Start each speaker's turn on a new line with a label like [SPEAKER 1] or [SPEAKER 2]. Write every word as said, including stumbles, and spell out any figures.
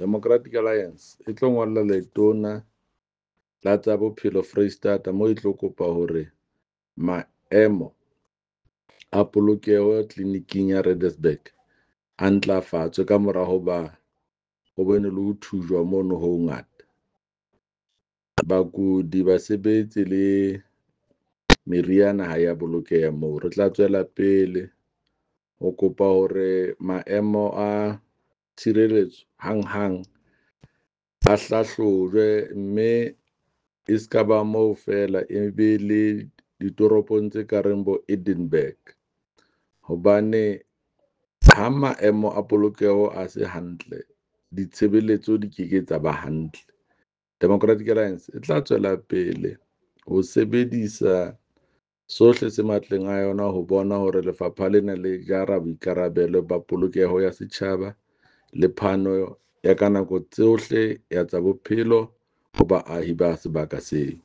[SPEAKER 1] Democratic Alliance e tlo ngolla letona la tsa bophelo Foreisetata moo e tlo kopa hore maemo a polokeho tleliniking ya Redesburg a ntlafatswe ka mora hoba ho bone le ho thujwa mono ho hongata. Bakudi, basebetsi le meriana ha ya bolokeha moo. Re tla tswela pele ho kopa hore maemo a tshireletso hanghang a hlahlojwe, mme e ska ba moo feela e be le ditoropong tse ka reng bo Edenburg. Hobane ha maemo a polokeho a se hantle, ditshebeletso di ke ke tsa ba hantle. Democratic Alliance e tla tswela pele ho sebedisa sohle se matleng a yona ho bona hore lefapha lena le jara boikarabelo ba polokeho ya setjhaba le phano ya ka nako tsohle ya tsa bophelo ho baahi ba sebaka seo.